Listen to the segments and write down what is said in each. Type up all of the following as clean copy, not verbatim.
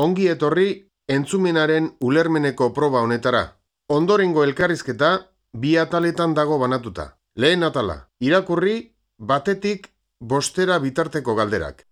Ongi etorri entzumenaren ulermeneko proba honetara. Ondorengo elkarrizketa bi ataletan dago banatuta. Lehen atala, irakurri batetik 5 bitarteko galderak.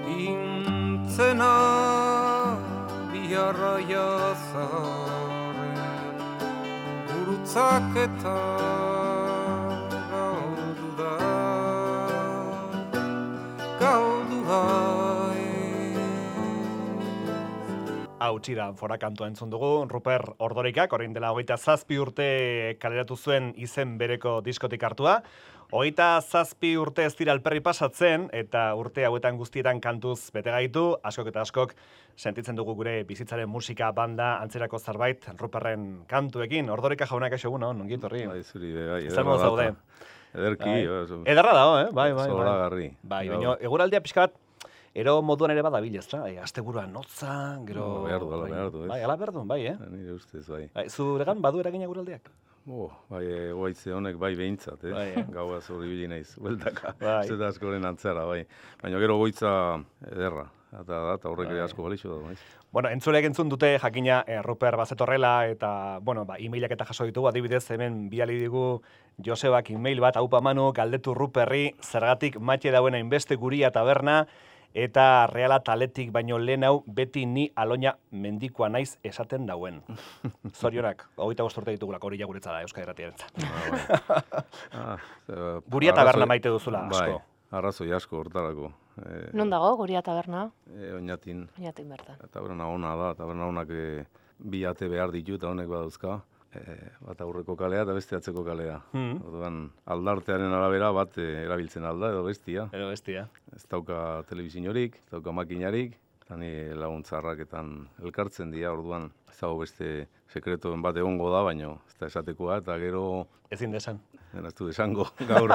Intzena biharra jazaren gurutzak eta gaudu da Hautsira fora kantua entzun dugu, Ruper Ordorikak, orain dela 27 urte kaleratu zuen izen bereko diskotik hartua. 27 urte ez dira alperri pasatzen, eta urte hauetan guztietan kantuz bete gaitu, askok eta askok sentitzen dugu gure bizitzaren musika, banda, antzerako zerbait, Ruperren kantuekin. Ordorika jaunak eixo egun, ongi etorri. Bai, zuri, bai, ederra zaude. Ederki, Ederra dago, Bai. Zoragarri. Bai, baina eguraldia pixka bat, ero moduan ere badabil, ezta? Asteburuan notza, gero... Behar du, ez? Bai, ala behar du, bai, Nire ustez, bai. Zuregan badu eragina eguraldiak? Bai, goaitze honek bai behintzat, Gaua zori bili naiz, bueltaka. Zeta askoren antzara, bai. Baina gero goitza ederra, eta horrek ere asko balixo da, bai. Bueno, entzuleak entzun dute jakina Ruper bazetorrela, eta, bueno, emailak eta jaso ditugu, adibidez, hemen biali digu Josebak email bat, haupa Manu, galdetu Ruperri, zergatik matxe dauen hainbeste guria taberna, eta reala taletik baino lehen hau beti ni Aloña mendikoa naiz esaten dauen. Zorionak, 25 urte ditugulako hori jaguretza da Euskal Irratiarentzat. Guria taberna maite duzula, asko. Bai, arrazoi asko hortarako. Non dago Guria taberna? Oñatin. Oñatin bertan. Taberna ona da, taberna onak bi ate behar ditu eta honek badauzka. Bat aurreko kalea eta beste atzeko kalea. Orduan, aldartearen arabera bat erabiltzen alda edo bestia. Ez dauka telebizinorik, ez dauka makinarik, eta ni laguntzarraketan elkartzen dira, orduan ez dago beste sekretoen bat egongo da, baina ez da esatekoa, eta gero... Ezin desan. Ez du desango, gaur.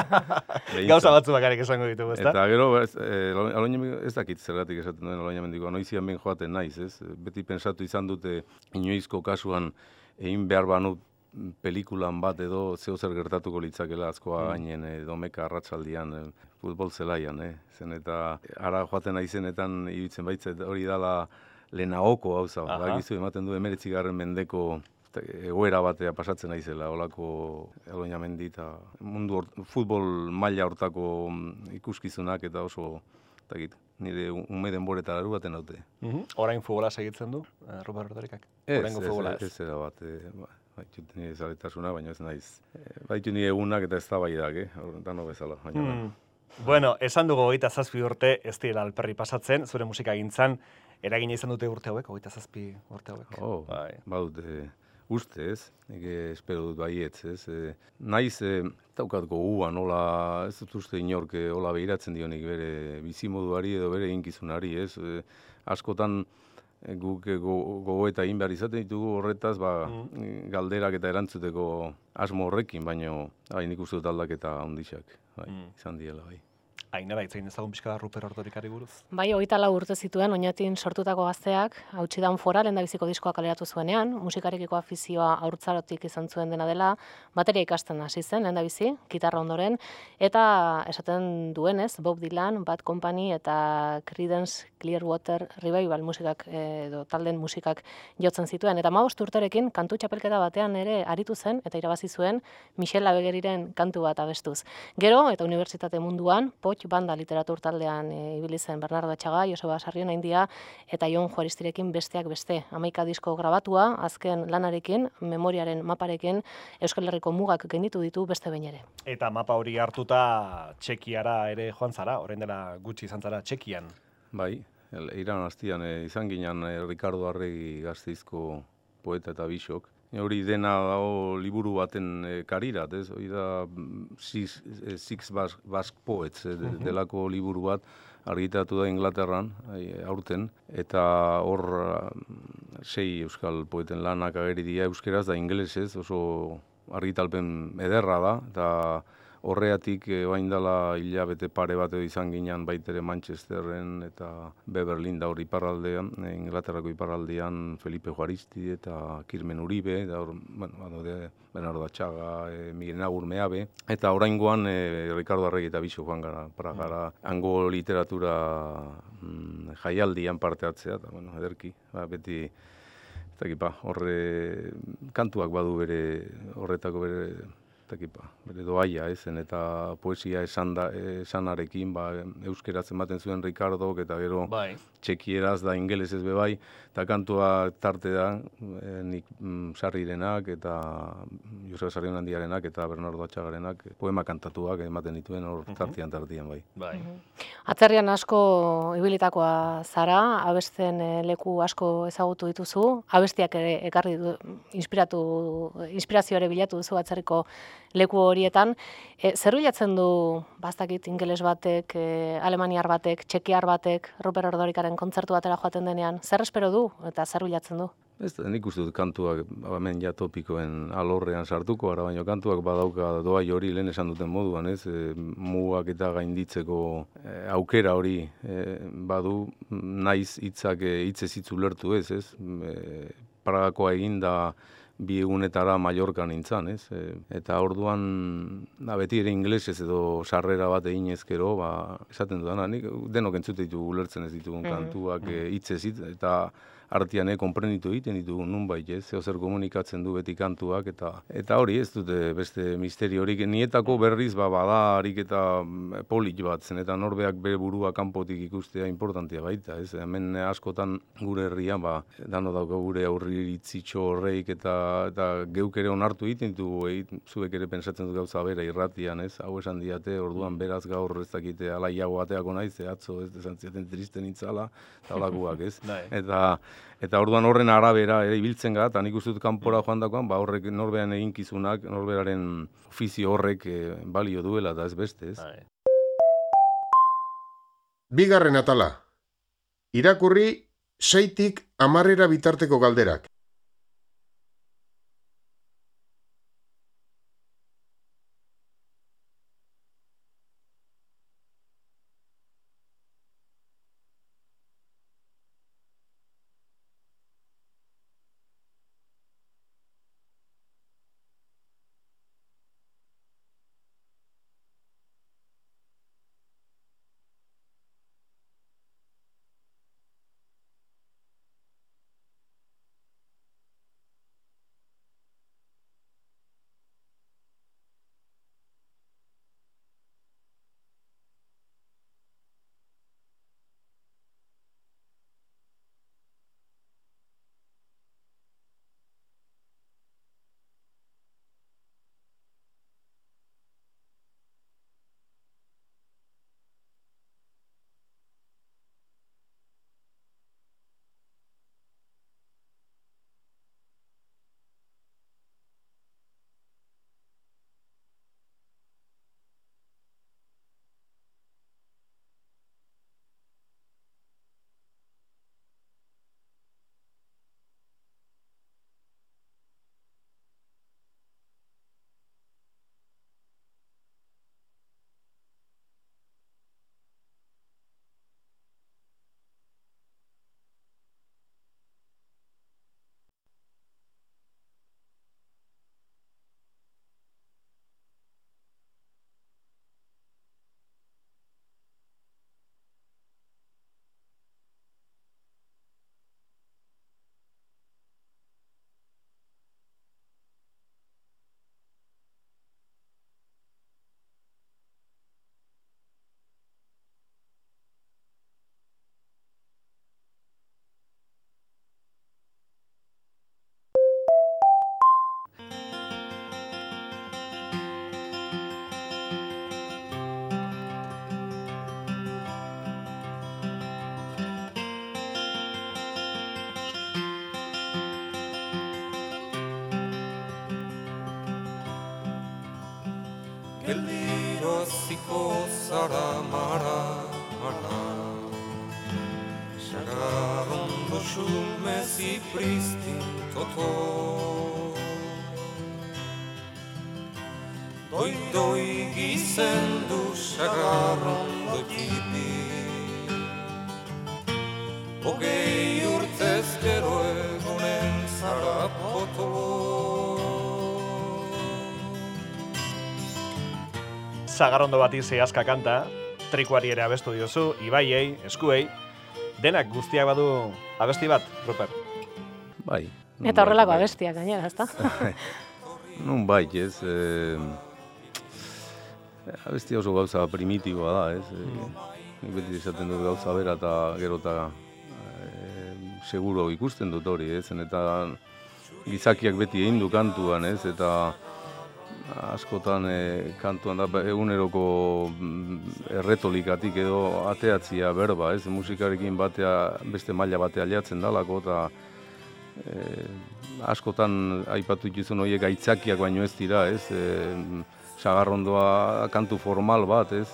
Gauza batzu bakarrik esango ditugu, ezta? Eta gero, Aloña ez dakit zergatik esaten duen Aloña mendikoa, noizian ben joaten naiz, ez? Beti pensatu izan dute inoizko kasuan egin behar banut pelikulan bat edo zeo zer gertatuko litzakela azkoa gainen domeka arratsaldian futbol zelaian, zen eta ara joaten naizenetan iruditzen baitzet hori dala lehenagoko gauza bat. Bakizu ematen du 19. mendeko egoera batea pasatzen naizela olako Aloña mendi eta mundu futbol maila hortako ikuskizunak eta oso nire ume denboretara baten daute. Orain futbola segitzen du, Ruper Ordorikak? Ez da bat, baitut nire zaletasuna, baina ez naiz. Baitut nire egunak eta ez da baidak, dano bezala. Bueno, esan dugu 27 urte ez direla alperri pasatzen, zure musika gintzan, eragina izan dute urte hauek, 27 urte hauek. Oh, Bai. badut uste ez, espero dut baietz ez. Naiz daukat gogua nola, ez dut uste inork hola behiratzen dionik bere bizimoduari edo bere inkizunari ez. Askotan guk gogoeta egin behar izaten ditugu horretaz, galderak eta erantzuteko asmo horrekin, baino nik uste dut aldaketa handixak, izan diela bai. Ainara, itzein ezagun pixka da Ruper Ordorikari buruz? Bai, 24 urte zituen Oñatin sortutako gazteak, Hautsidan Fora lehendabiziko diskoa kaleratu zuenean, musikarekiko afizioa haurtzarotik izan zuen dena dela, bateria ikasten hasi zen lehendabizi, gitarra ondoren, eta esaten duenez, Bob Dylan, Bad Company eta Creedence Clearwater Revival musikak edo talden musikak jotzen zituen, eta 15 urterekin kantu txapelketa batean ere aritu zen eta irabazi zuen Michel Labegeriren kantu bat abestuz. Gero, eta unibertsitate munduan, Poch banda literatur taldean ibili zen Bernardo Atxaga, Joseba Sarriona India eta Jon Juaristirekin besteak beste. 11 disko grabatua, azken lanarekin, memoriaren maparekin, Euskal Herriko mugak gainditu ditu beste behin ere. Eta mapa hori hartuta Txekiara ere joan zara, orain dela gutxi izan zara Txekian. Bai, iran hastian izan ginen Ricardo Arregi Gasteizko poeta eta bisok. Hori dena dago liburu baten karirat, ez? Hori da Six Basque Poets delako liburu bat argitaratu da Inglaterran, aurten, eta hor 6 euskal poeten lanak ageri dira euskeraz da ingelesez, oso argitalpen ederra da, eta horreatik bain dela hilabete pare bat izan ginen baitere Manchesterren eta Beverlyn da hor iparraldean, Inglaterrako iparraldean Felipe Juaristi eta Kirmen Uribe, da hor, Bernardo Atxaga, Miguel Nagur Meabe, eta oraingoan Ricardo Arregi eta Bixo joan gara, Pragara, hango literatura jaialdian parte hartzea, eta ederki, beti, horre kantuak badu bere, horretako bere doaia ezen, eta poesia esanarekin, euskeraz ematen zuen Ricardok, eta gero txekieraz da ingelesez bebai, eta kantua tarte da, nik Sarrirenak, eta Joseba Sarrion Handiarenak, eta Bernardo Atxagarenak, poema kantatuak ematen dituen hor tartian bai. Atzerrian asko ibilitakoa zara, abesten leku asko ezagutu dituzu, abestiak ere ekarri du, inspirazio ere bilatu duzu atzerriko leku horietan. Zer bilatzen du, bastakit, ingeles batek, alemaniar batek, txekiar batek, Ruper Ordorikaren kontzertu batera joaten denean? Zer espero du eta zer bilatzen du? Nik uste dut kantuak, hemen ja topikoen alorrean sartuko, ara baino kantuak badauka doai hori lehen esan duten moduan, ez? Mugak eta gainditzeko aukera hori badu, naiz hitzak hitzez hitz ulertu ez? Pragakoa egin da 2 egunetara Mallorcan nintzen, ez? Eta orduan, beti ere ingelesez edo sarrera bat egin ezkero, esaten dudana, nik denok entzute ditu ulertzen ez ditugun kantuak hitzez hitz, eta artean konprenitu egiten ditugu nunbait, ez? Zer komunikatzen du beti kantuak, eta hori ez dute beste misteriorik. Nietako berriz bada harik eta polit bat zen, eta norbeak bere burua kanpotik ikustea importantea baita, ez? Hemen askotan gure herrian, dano dauka gure aurriritzitxo horreik, eta geuk ere onartu egiten ditugu, zuek ere pensatzen dut gauza bera irratian, ez? Hau esan diate, orduan beraz gaur ez dakite alaiago ateako naiz, atzo ez desantziaten tristen intzala, eta holakoak, ez? Eta orduan horren arabera ere ibiltzen gara, eta nik uste dut kanpora joan dakoan, horrek norbean eginkizunak, norberaren ofizio horrek balio duela, eta ez beste, ez? Bigarren atala. Irakurri 6tik 10 bitarteko galderak. geldiro ziko zara mara, mara. Sagarrondo xumezi pristin toto. Doi gizendu sagarrondo tipi. Hogei urtez gero egunen zara potolo. Sagarrondo bati zehazka kanta, trikuari ere abestu diozu, ibaiei, eskuei, denak guztiak badu abesti bat, Ruper? Bai. Eta horrelako abestiak gainera, ezta? Nun bai, ez. Abestia oso gauza primitiboa da, ez. Nik beti esaten dut gauza bera eta gero eta seguro ikusten dut hori, ez. Eta gizakiak beti egin du kantuan, ez. Eta askotan kantuan da eguneroko erretolikatik edo ateatzia berba, ez. Musikarekin batea, beste maila batea aliatzen dalako, eta askotan aipatu dituzun horiek aitzakiak baino ez dira, ez. Sagarrondoa kantu formal bat, ez.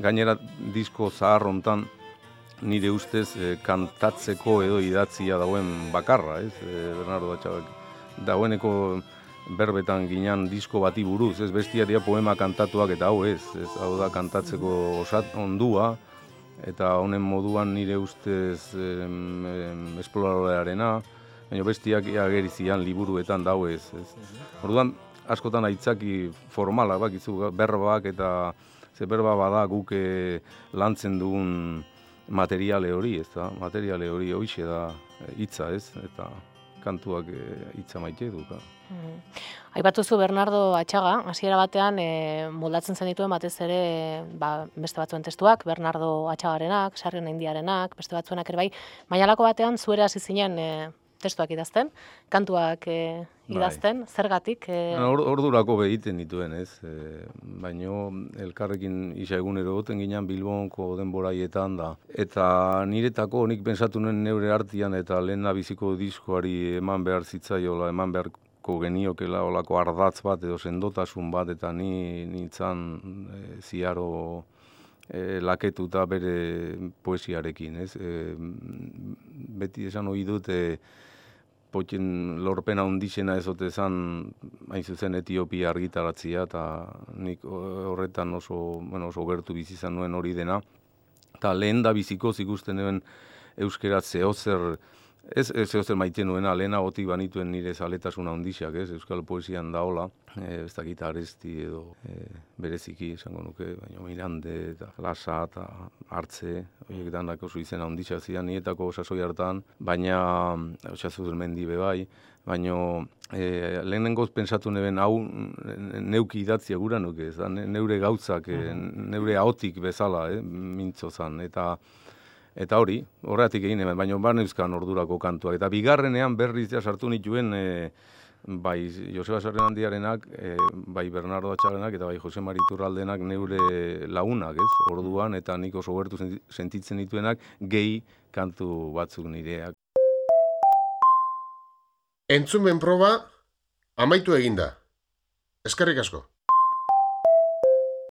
Gainera disko zahar hontan nire ustez kantatzeko edo idatzia dauen bakarra, ez. Bernardo Atxagak dagoeneko berbetan ginean disko bati buruz, ez. Bestiaria poema kantatuak eta hau ez. Hau da kantatzeko ondua, eta honen moduan nire ustez esploradorearena, baina bestiak ageri zian liburuetan dau ez. Orduan, askotan aitzaki formalak bakizu, berbak eta ze berba bada guk lantzen dugun materiale hori, ez da? Materiale hori hoixe da hitza, ez? Eta kantuak hitza maite du. Aipatuzu Bernardo Atxaga, hasiera batean moldatzen zen dituen batez ere beste batzuen testuak, Bernardo Atxagarenak, Sarrion Indiarenak, beste batzuenak ere bai, Maialako batean zuera hasi zinen testuak idazten, kantuak idazten, zergatik? Ordurako behiten dituen, ez? Baino elkarrekin isa egunero goten ginean Bilbonko denboraietan da. Eta niretako nik pensatu nuen neure artian eta lehen biziko diskoari eman behar zitzaiola, eman beharko geniokela olako ardatz bat edo sendotasun bat, eta nintzan ziaro laketuta bere poesiarekin, ez? Beti esan ohi dut potien lorpena hundixena ezote zan, hain zuzen Etiopia argitaratzia, eta nik horretan oso gertu bizi izan nuen hori dena. Eta lehen da bizikoz ikusten nuen euskeraz zehozer, ez zehozer maite nuena, lehena gotik banituen nire zaletasuna hundixak, ez? Euskal poesian daola, ez dakit Aresti edo bereziki esango nuke, baina Mirande eta Lasa eta Hartze, horiek danak oso izena hundixak zidan nietako sasoi hartan, baina Osazu Mendi bebai, baina lehenengoz pensatu neben hau neuki idatzia gura nuke, ez da, neure gautzak, neure ahotik bezala, mintzo zan, eta hori, horretik egin hemen, baina barneuzkan ordurako kantuak. Eta bigarrenean berriz sartu nituen bai Joseba Sarrion Handiarenak, bai Bernardo Atxagarenak eta bai Jose Mari Iturraldenak neure lagunak, ez? Orduan, eta nik oso gertu sentitzen dituenak gehi kantu batzuk nireak. Entzumen proba amaitu eginda. Eskerrik asko.